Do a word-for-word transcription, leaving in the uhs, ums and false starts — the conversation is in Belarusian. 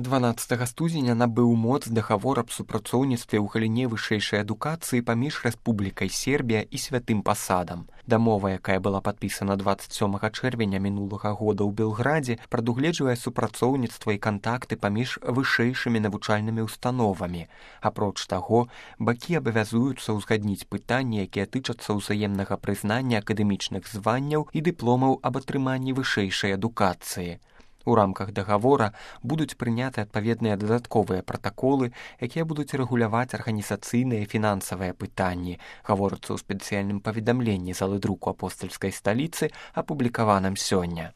дванаццатага студзеня набыў моц дагавор аб супрацоўніцтве ў галіне вышэйшай адукацыі паміж Рэспублікай Сербія і Святым Пасадам. Дамова, якая была падпісана дваццаць сёмага чэрвеня мінулага года ў Белградзе, прадугледжвае супрацоўніцтва і кантакты паміж вышэйшымі навучальнымі установамі. Апроч таго, бакі абавязуюцца ўзгадніць пытанні, якія тычацца ўзаемнага прызнання акадэмічных званняў і дыпломаў аб атрыманні вышэйшай адукацыі. У рамках дагавора будуць прыняты адпаведныя дадатковыя пратаколы, якія будуць рэгуляваць арганізацыйныя і фінансавыя пытанні, гаворыцца ў спецыяльным паведамленні залы друку апостальскай сталіцы, апублікаваным сёння.